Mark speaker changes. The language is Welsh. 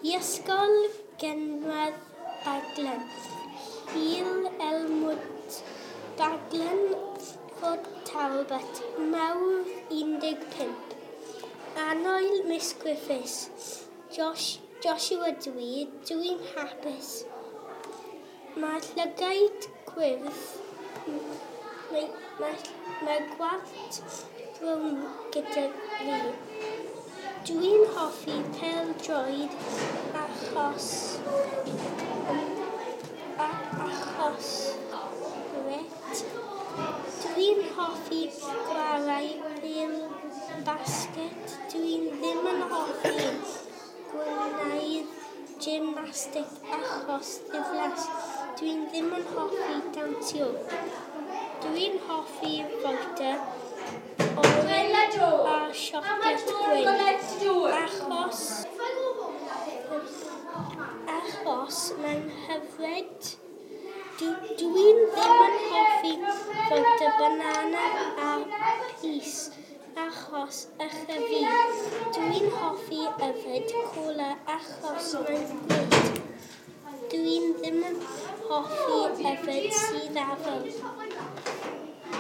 Speaker 1: I ysgol gynradd Baglan, Hil Elmwood, Baglan, Fort Talbot, Mawrth 15. Annoel Miss Griffiths, Josh, Joshua dwi, dwi'n hapus. Mae llygaid gwyrdd, mae gwallt brown gyda fi. Dwi'n hoffi pêl-droed achos gret. Dwi'n hoffi chwarae pêl basget. Dwi'n ddim yn hoffi gwneud gymnastig achos ddiflas. Dwi'n ddim yn hoffi dawnsio. Dwi'n hoffi vodka oren a siocled gwyn achos mae'n hyfryd. Dwi'n ddim yn hoffi vodka banana a pys achos ychydig. Dwi'n hoffi yfed cola achos mae'n grêt. Dwi'n ddim yn hoffi yfed sudd afal.